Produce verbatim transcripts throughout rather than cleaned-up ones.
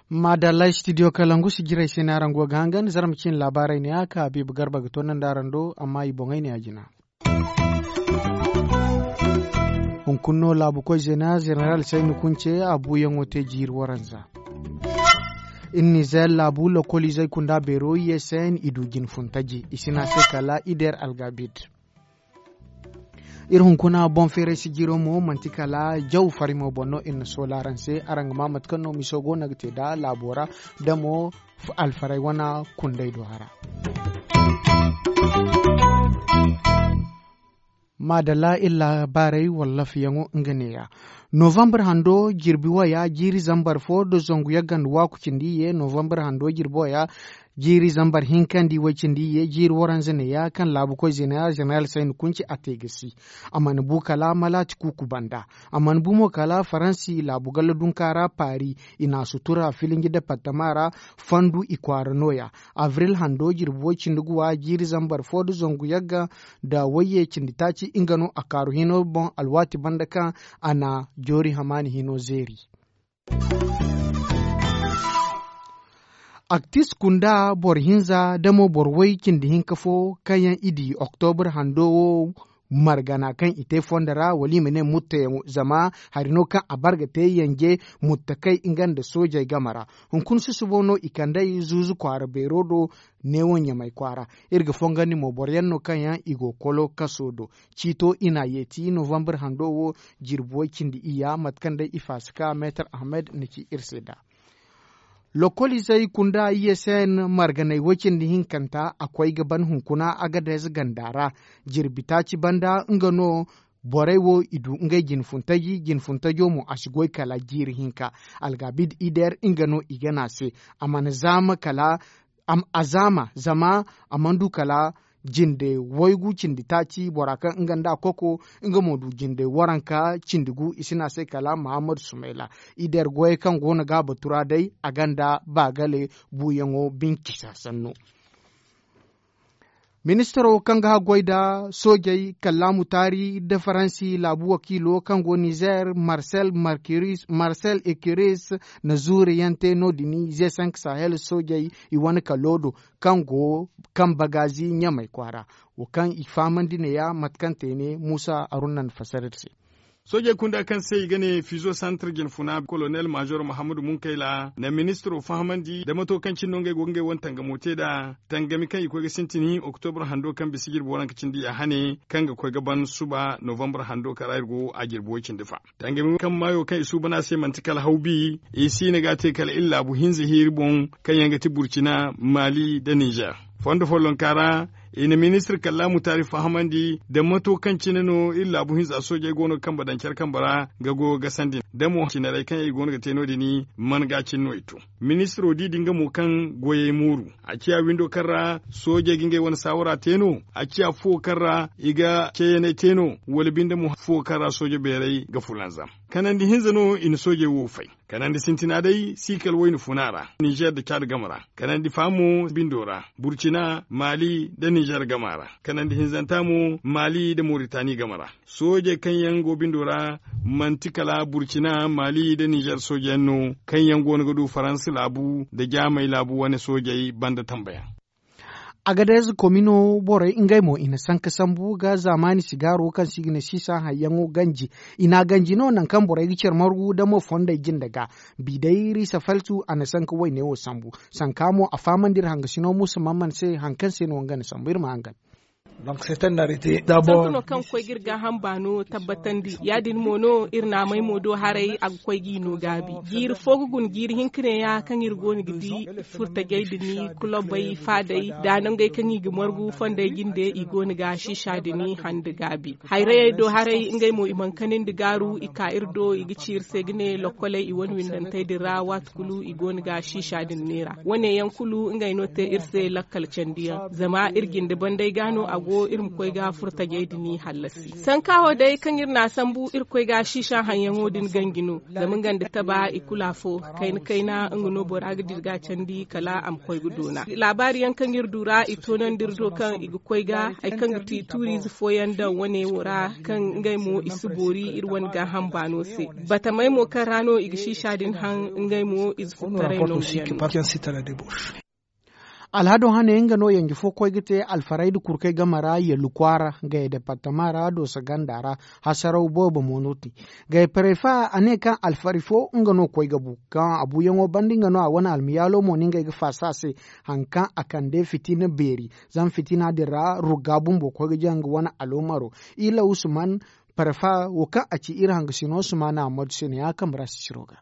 Maadalla studio kalangu si jiray se no araŋ go ga hangan zarma ciine laabaarey ne ya ka habiibu garba ga toonandi araŋ do amma i boŋey ne ya jina. Hunkuna no laabu koy zeena zeneral sayni kunce a buuyaŋo te jiiri waranza. Iri nizer laabu lokoliizey kunda beero i ye se i du jine funtaji i si ne a se kala ider algabid. Iri hunkuna boŋ feeray sijiro mo manti kala jaw farimo boŋ no iri na soola araŋ se araŋ ga maa mate kaŋ no miso go no ga te nd'a laabo ra da mo alfaray wane kundey do hara. Maadalla iri laabaarey wallafiyaŋo nga neeya. Novambar hando jirbi waya jiiri zambar fo nda zangu yagga nda waaku cindi iyye novambar hando jirbi waya jiiri zambar hinka nda iway cindi iyye jiiri waranza neeya kaŋ laabu koy zeneral sayni kunci a te ga si. A mana bu kala malaati kuuku banda. A mana bu mo kala faransi laabu galla dunka ra paari i na a sutura filinji departama ra. Fandu i kwaara nooya. Abril hando jirbi way cindi guwa jiiri zambar fo nda zangu yagga nda wayye cindi taaci nga no a kaaru hino boŋ alwaati banda kaŋ a na joori hamaani hino zeeri. Aktis kunda boro hinza da mo boro way cindi hinka fo kaŋ yaŋ i di oktobar hando wo margana kaŋ i te fondo ra wala i ma ne mutteyaŋo zama hari no kaŋ a bar ga te yanje muttakay nga nda soojey game ra. Hunkuna susubo no i kand'ey zuuzu kwaara beero do neewo ɲamay kwaara. Iri ga fongandi mo boro yaŋ no kaŋ yaŋ i go kolo kaso do. Ciito i n'a yeeti novambar hando wo jirbi way cindi iyya mate kaŋ day i faasaka meetar ahmed na ci iri se nd'a. Lokoliizey kunda i ye se marganey way cindi hinkanta a koy ga ban hunkuna agadez ganda ra. Jirbi taaci banda nga no borey wo i du ngey jinfuntaji jinfuntajo mo a si goy kala jiiri hinka. Algabid ider nga no i gana se a mana zaama kala a zaama zama a mana du kala jinde waygu cindi taaci bora kaŋ nga nda a koko nga mo du jinde waranka cindi gu i si ne a se kala mahammadu sumayla. Ider goyey kaŋ go no ga a batu ra day a ganda baagale buuyaŋo bincisa sanno. Ministiro kaŋ ga haggoy nda soojey kallaamu taari nda faransi laabu wakiilo kaŋ go nizer marcel ecuris na zuuriyaŋ te no- din ze sank sahel soojey i wane kalo do kaŋ go kaŋ bagaazi ɲamey kwaara wo kaŋ i fahamandi neeya mate kaŋ te ne muusa arunnan fasarar se. Soojey kunda kaŋ se i ga ne fiizo santar jinfuna kolonel maazor mahammadu munkayla na ministiro fahamandi da mato kaŋ cine no ngey go ga ngey wane tangamo te nd'a. Tangami kaŋ i koy ga sintin oktobra hando kaŋ bisa jirbi waranka cindi ya hane kaŋ ga koy ga ban suba novambar hando kaŋ ra iri go a jirbi way cindi fa. Tangami kaŋ maayo kaŋ i suuban a se manti kala hawbi i si na ga a te kala iri laabu hinza hiiri boŋ kaŋ yaŋ ga ti burcina maali nda ninzer. Fondo follonka ra i na ministir kallaamu taari fahamandi nda mato kaŋ cine no iri laabu hinza soojey go no ga kambe daŋ care kambe ra ga goyo gasandi nda mo cinarey kaŋ yaŋ i go no ga te no- din man ga cine no i to. Ministiro di din ga mo kaŋ goyey mooru a ciya windo kaŋ ra soojey ga ngey wane saawara te no a ciya fuwo kaŋ ra i ga ceeyaney te no wala binde mo fuwo kaŋ ra sooje beerey ga fulanzam. Kanandi hinza no i na soojey wo fay. Kanandi sintina day si kala wayna funa ra ninzer nda caad game ra. Kanandi fa mo bindo ra burcina maali nda ninzer game ra. Kanandi hinzanta mo maali nda moritani game ra. Soojey kaŋ yaŋ go bindo ra manti kala burcina maali nda ninzer soojeyaŋ no kaŋ yaŋ go no ga du faransa laabu nda jaamey laabu wane soojey banda tambayaŋ. Agadez komino borey ngey mo i na sanka sambu ga zaamaani sigaaro kaŋ se i ga ne siisa hayyaŋo ganji. I n'a ganji no nangu kaŋ borey ga care margu da mo fondey jinde ga. Bi day riisa faltu a na sanka wayne wo sambu. Sanka mo a fahamandi iri hangasino muusa mamman se hari kaŋ se no nga na sambu iri ma hangan. Sanka no kaŋ ga koy ga iri gaaham baano tabbatandi ya- din mo no iri naamey mo do haray a ga koy g'i no gaabi. Jiiri fo ga guna jiiri hinka neeya kaŋ iri go no ga di furtajey din kulobey faadey da nangey kaŋ i ga margu fondey jinde i go no ga siisa din hande gaabi. Hayrayey do haray ngey mo i mana kanandi gaaru i ka iri do i ga ci iri se ga ne lokkoley i wane windantey din ra waati kulu i go no ga siisa din neera. Wane yaŋ kulu ngey no te iri se lakkal candiyaŋ zama iri jinde bandey ga no. a go iri ma koy ga furtajey din hallasi. Sanka wo day kaŋ iri n'a sambu iri koy ga siisa haŋyaŋo din ganji no. Zama nga nda taba i kulu afo, kayna kayna nga no bora ga dira ga candi kala a ma koy ga doona. Laabaari yaŋ kaŋ iri du ra i toonandi iri do kaŋ i ga koy ga hari kaŋ ga ti tuuriize fooyaŋ daŋ wane wo ra, kaŋ ngey mo i si boori iri wane gaaham baano se. Batamey mo kaŋ ra no i ga siisa din haŋ, ngey mo ize furtaray no ga yaŋ no. Alhado hane nga no yanji fo koy ga te alfaray nda kurkey game ra yallu kwaara, gaya departama ra dooso ganda ra. Hasaraw boobo mo no ti gaya parefa a ne kaŋ alfari fo nga no koy ga bu. Kaŋ a buuyaŋo banda nga no a wane almiyaalo mo no ngey ga faasa a se. Hari kaŋ a kande fitina beeri, zama fitina din ra rugga bumbo koy ga jaŋ nga wane aloomaro. Ila usman parefa wo kaŋ a ci iri hangasino sumana ammadu se ne ya kambe ra sisiro ga.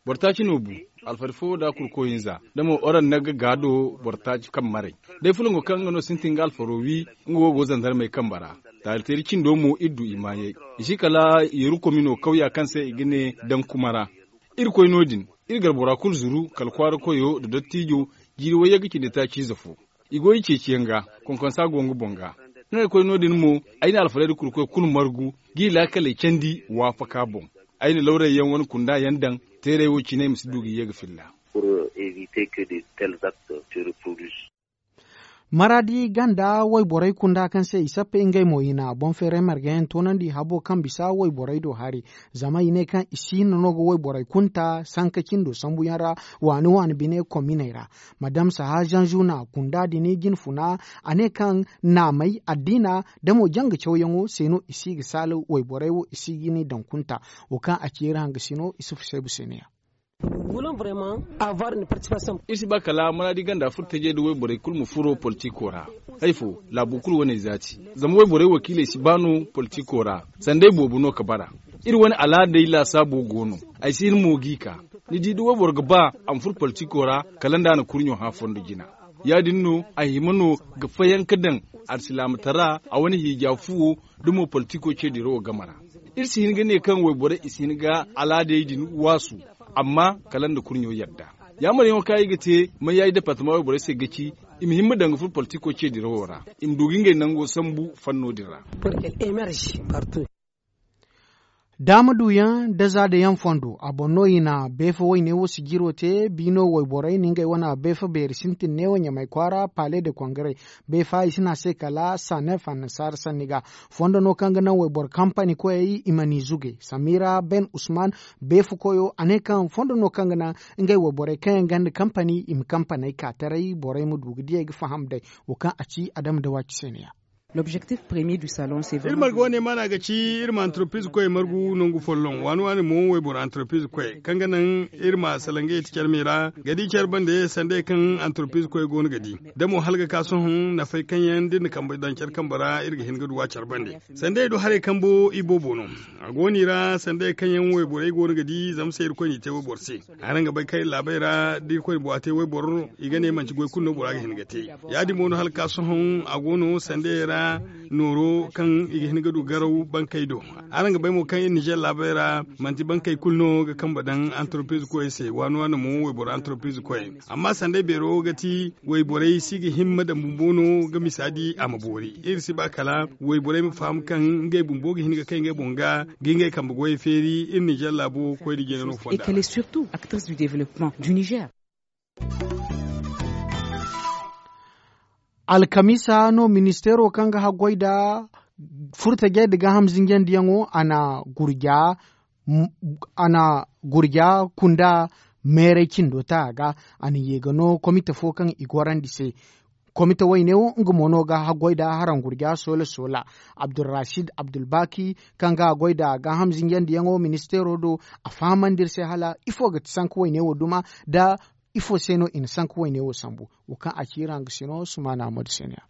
Boro taaci no bu, alfari fo nda kurko hinza da mo oraŋ na ga gaado boro taaci kaŋ maray. Day fulango kaŋ nga no sintin ga alfaro wi, nga wo go zandarmey kambe ra. Taari teeri cindo mo iri du i maayey. I si kala yeru komino kawya kaŋ se i ga ne daŋ kuma ra. Iri koy no- din, iri gar bora kulu zuru kala kwaara koyo nda dottijo, jiiri wayye ga cindi taaci ize fo. I go i ceeciyaŋ ga, konkonsa go nga boŋ ga. Ngey koy no- din mo, ay na alfarayda kurkoy kulu margu, g'i laakaley candi waafaka boŋ. Ay na lawrayyaŋ wane kunda yaŋ daŋ, teeray wo cine i ma si du ga ye ga filla. Maraadi ganda wayborey kunda kaŋ se i sappe ngey mo i na boŋ feeray margayaŋ toonandi habo kaŋ bisa wayborey do hari. Zama i ne kaŋ i si hinne no ga wayborey kunta sanka cindo sambuyaŋ ra, waani waani bine kominey ra. Madam saha zanzu na kunda din jinfuna, a ne kaŋ naamey addiina da mo janga cawyaŋo se no i si ga saala wayborey wo i si ga ni daŋ kunta. Wo kaŋ a ci iri hangasino i si fuseebu se ne ya. Iri si ba kala maraadi ganda furo tajey nda wayborey kulu ma furo politiko ra. Hay fo, laabu kulu wane zaati. Zama wayborey wakiiley si ba no politiko ra. Sanday boobo no ka bara. Iri wane alaadey laasaabo go no. Ay si hin mo g'i ka. Ni di da wayboro ga ba a ma furo politiko ra, kala nda a na kurɲo hã fondo jina. Ya- din no a hima no ga fayanka daŋ alsilaamatara a wane hiija fuwo, da mo politiko ce dirawo game ra. Iri si hin ga ne kaŋ wayborey i si hin ga alaadey din waasu, amma kala nda kurɲo yadda. Yaamaryaŋo kaŋ ay ga te mayayi departama wayborey se ga ci, i ma himma daŋ ga furo politiko ce dirawo ra, i ma du ga ngey nango sambu fanno din ra. Daama duyaŋ da zaadayaŋ fondo a boŋ no i na beefa wayne wo sijiro te biino wayborey na ngey wane beefa beeri sintin neewo ɲamay kwaara pale de kongare. Beefa i si ne a se kala sanef annasaara sanni ga. Fondo no kaŋ ga naŋ wayboro kampani koyey i ma ni zuge samira ben usman. Beefa koyo a ne kaŋ fondo no kaŋ ga naŋ ngey wayborey kaŋ yaŋ ganda kampani i ma kampaney ka taray borey ma du ga diyey ga faham day. Wo kaŋ a ci adama da waaci se ne ya. Iri marga wane maana ga ci iri ma antropiz koy margu nangu folloŋ waani waani mo wayboro antropiz koy kaŋ ga naŋ iri ma salangay ti care me ra ga di care bande sandey kaŋ antropiz koy go no ga di. Da mo hala ga ka sohõ nafay kaŋ yaŋ da iri na kambe daŋ care kambe ra iri ga hin ga duw'a care bande. Sandey do haray kambo i boobo no. A go no i ra sandey kaŋ yaŋ wayborey go no ga di zama se irkoy n'i te wayboro se. Araŋ ga bay kaŋ iri laabey ra da irkoy na buwa te wayboro i ga ne manti goy kulu no bora ga hin ga te. Ya- din mo no hala ka sohõ a go no sandey ra nooro kaŋ i ga hin ga du garaw bankey do. Araŋ ga bay mo kaŋ iri nizer laabey ra manti bankey kulu no ga kambe daŋ antropiz koyey se waani waani mo wayboro antropiz koyey. Amma sandey beero ga ti wayborey si ga himma daŋ bumbo no ga misa di a ma boori. Iri si ba kala wayborey ma faham kaŋ ngey bumbo ga hin ga kay ngey boŋ ga ga ngey kambe goyey feeri iri nizer laabo koy da jina no fonda. Alkamiisa no ministeero kaŋ ga haggoy nda furtajey nda gaaham zinjandiyaŋo a na gurja a na gurja kunda meeray cindo ta a ga. A na ye ga no komite fo kaŋ i gorandi se. Komite wayne wo nga mo no ga haggoy nda haraŋ gurja soola soola. Abdulrasid abdulbaki kaŋ ga haggoy nda gaaham zinjandiyaŋo ministeero do a fahamandi iri se hala ifo ga ti sanka wayne wo duma nda ifo se no i na sanka wayne wo sambu. Wo kaŋ a ci iri hanga sino sumaana ammadu se no ya.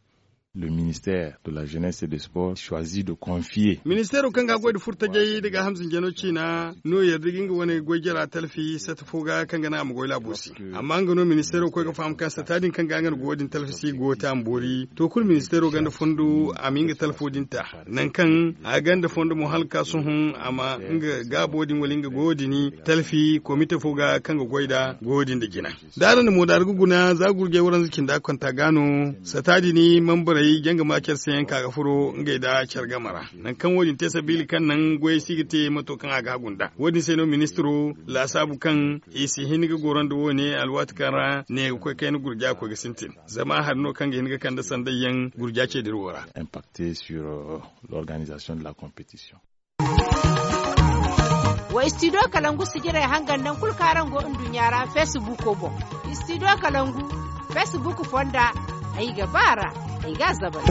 Le ministère de la jeunesse et de sport choisi de confier. Ministeero kaŋ ga goy da furtajey da gaaham zinjano ciina no yarda ga nga wane goy jara talfi sata fo ga kaŋ ga naŋ a ma goy laabo se. Amma nga no ministeero koy ga faham kaŋ sata din kaŋ ga nga na goy din talfi se go te a ma boori to kulu ministeero ganda fondo a ma nga talfo din ta. Nangu kaŋ a ganda fondo mo hala ga ka sohõ a ma nga gaabo din wala nga goyo din talfi komite fo ga kaŋ ga goy nda goyo din nda jina. Da araŋ na moodaari ga guna za gurjay waranza cinda konta ga no sata din mambarey janga ma care se yaŋ ka ga furo ngey nda care game ra. Nangu kaŋ wo- din te sabiila kaŋ naŋ goyey si ga te mato kaŋ a ga hagu nd'a wo- din se no ministiro laasaabu kaŋ i si hin ga goro nda wo- ne alwaati kaŋ ra ne ga koy kayna gurja koy ga sintin. Zama hari no kaŋ ga hin ga kande sanday yaŋ gurja ce dira wo ra. Impacte sur l'organisation de la competition. Wa istidiyo kalangu sijirey hangan naŋ kulu kaŋ araŋ go nduɲɲa ra feesibuuko boŋ. Istidiyo kalangu feesibuuko fonda ay ga ba a ra ay ga a zabal.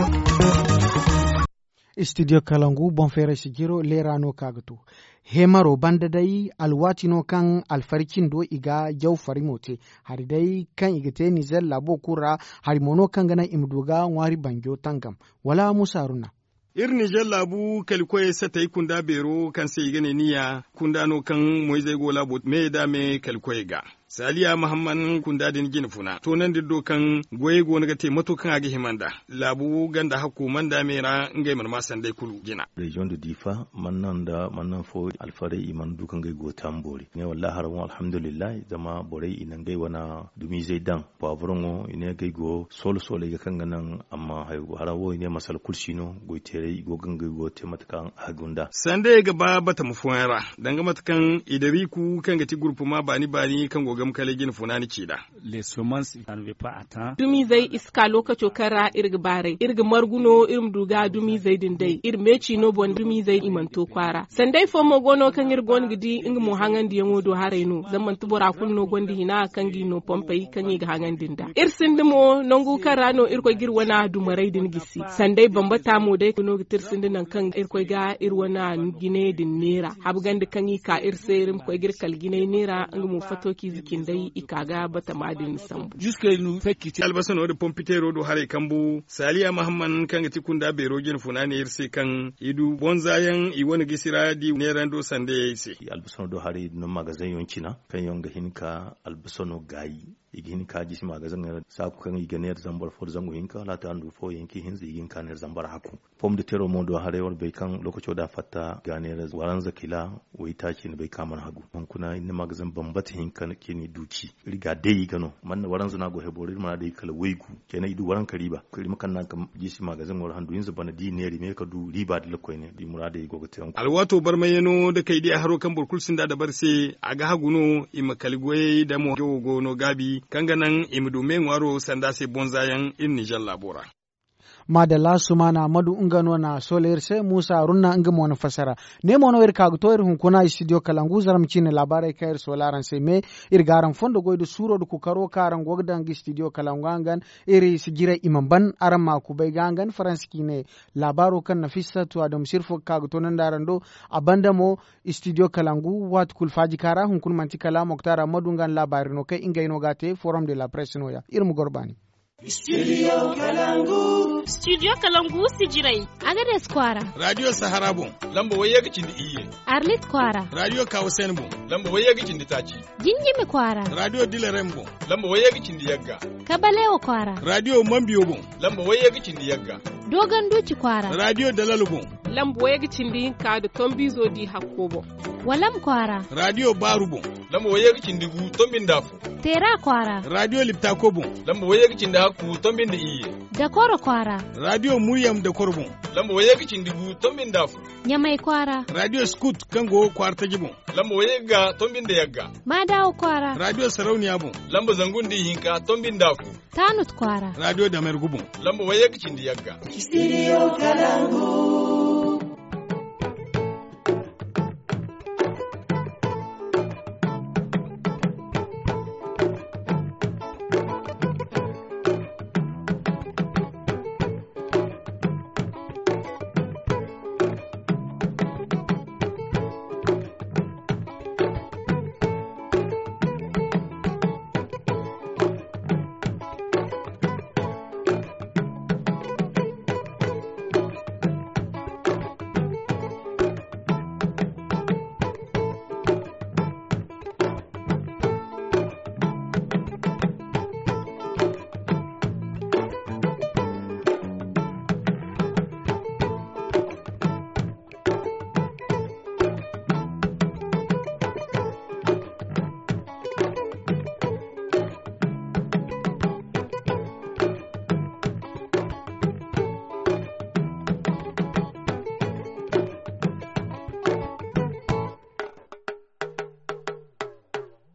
Istidiyo kalangu boŋ feeray sijiro leera no kaŋ a ga to. Heemaro banda day alwaati no kaŋ alfari cindo i ga jaw farimo te. Hari day kaŋ i ga te nizer laabo kulu ra hari mo no kaŋ ga naŋ i ma du ga ŋwaari banjo tangam. Wala muusa haruna. Iri nizer laabu kalikoyey satey kunda beero kaŋ se i ga ne niya kunda no kaŋ moyzey go laabo me da me kalikoyey ga. Saaliya mahamman kunda din jine funa toonandi iri do kaŋ goyey go no ga te mato kaŋ a ga hima nd'a. Laabu ganda hakko mana da me ra ngey mana ma sanday kulu jina. Reziyoŋ da diifa mana naŋ nda mana naŋ fo alfarey i mana du ka ngey go taamboori ne wallaahi haraŋ wo alhamdulillahi zama borey i na ngey wane dumiizey daŋ. Paaburoŋo i ne ga ay go soolo soolo ay ga kaŋ ga naŋ amma haraŋ wo i ne masala kulu si no goyteeray i go ga ngey go te mate kaŋ a ga gunda. Sanda ay ga ba batama fooyaŋ ra danga mate kaŋ idariku kaŋ ga ti gurpuma baani baani kaŋ go ga ma kala ay jine funaani ci nd'a. Dumiizey i si ka lookaco kaŋ ra iri ga baaray iri ga margu no iri ma du ga dumiizey din day iri meeci no boŋ dumiizey i mana to kwaara sanday fo mo go no kaŋ iri go no ga di nga mo haŋandiyaŋo do haray no zama manti bora kulu no gonda hina kaŋ ga i no pompey kaŋ i ga haŋandi nd'a iri sinda mo nangu kaŋ ra no irkoy ga iri wane dumarey din gisi sanday bambata mo day no ga ti iri sinda nangu kaŋ irkoy ga iri wane jinay din neera habgandi kaŋ i ka iri se iri ma koy ga iri kala jinay neera nga mo fato kiize cindey i ka ga batama din sambu. Albasano nda pompiteero do haray kambu saaliya mahamman kaŋ ga ti kunda beero jine funa ne iri se kaŋ i du bonza yaŋ i wane gisi ra di neerando sandayey se. Albasano do haray i du no magazeŋ yaŋ cina kaŋ yaŋ ga hin ka albasano gaayi. I ga hin ka jisi magazeŋ ra saaku kaŋ i ga neera zambar fo nda zangu hinka wala ta handu fo yaŋ kaŋ i hinza i ga hin ka neera zambar hakku. Pom de tero mo do haray wala bay kaŋ lookaco da a fatta i ga neera waranza kila waytaaci ni bay kaŋ a mana hagu hunkuna iri na magazeŋ bambata hinka kaŋ i du ci. Iri ga day i ga no mana waranza no a go hebo ra iri mana day kala waygu. Kena i du waranka riiba iri ma kande naŋ kaŋ jisi magazeŋo ra handu hinza bana da i neera i ma ye ka du riiba da lakoyne da i muraadey go ga te. Alwaato barmayano da kay diya haro kaŋ boro kulu sinda dabari se a ga hagu no i ma kala goyey damo jawo go no gaabi kaŋ ga naŋ i ma du me ŋwaaro sanda se bonza yaŋ iri nizer laabo ra. Maadalla sumaana madu nga no na sola iri se muusa runna nga mo na fasara. Ne mo no iri ka ga to iri hunkuna istidiyo kalangu zarma ciine laabaarey kaŋ iri sola araŋ se me. Iri ga araŋ fondo goy nda suuro nda kukaro kaŋ araŋ go ga daŋ ga istidiyo kalangu hangan iri si jiray i mana ban araŋ ma kubay ga hangan faransa ciine. Laabaaro kaŋ nafisatu adamu sirfo ga ka ga toonandi araŋ do. A banda mo istidiyo kalangu waati kulu faaji kaŋ ra hunkuna manti kala moktar ammadu nga na laabaari no kaŋ ngey no ga a te forum de la presse no- ya iri ma goro baani. Studio kalangu. Studio kalangu sijirey. Agades kwaara. Radio sahara boŋ. Lamba wayye ga cindi iyye. Arlit kwaara. Radio kawasen boŋ. Lamba wayye ga cindi taaci. Jinjimi kwaara. Radio dilarem boŋ. Lamba wayye ga cindi yagga. Kabalewo kwaara. Radio mambiyo boŋ. Lamba wayye ga cindi yagga. Dogon duci kwaara. Radio dalalo boŋ. Lamba wayye ga cindi hinka nda tombizo di hakko boŋ. Walam kwaara. Radio baaru boŋ. Lamba wayye ga cindi gu tombi nda afo. Teera kwaara. Radio liptako boŋ. Lamba wayye ga cindi hakku tombi nda iyye. Dakoro kwaara. Radio muryam dakoro boŋ. Lamba wayye ga cindi gu tombi nda afo. Ɲamay kwaara. Radio skut kaŋ go kwaara taji boŋ. Lamba wayye ga tombi nda yagga. Maadawo kwaara. Radio sarauniya boŋ. Lamba zangu nda ihinka tombi nda afo. Taanut kwaara. Radio damergu boŋ. Lamba wayye ga cindi yagga. Studio kalangu.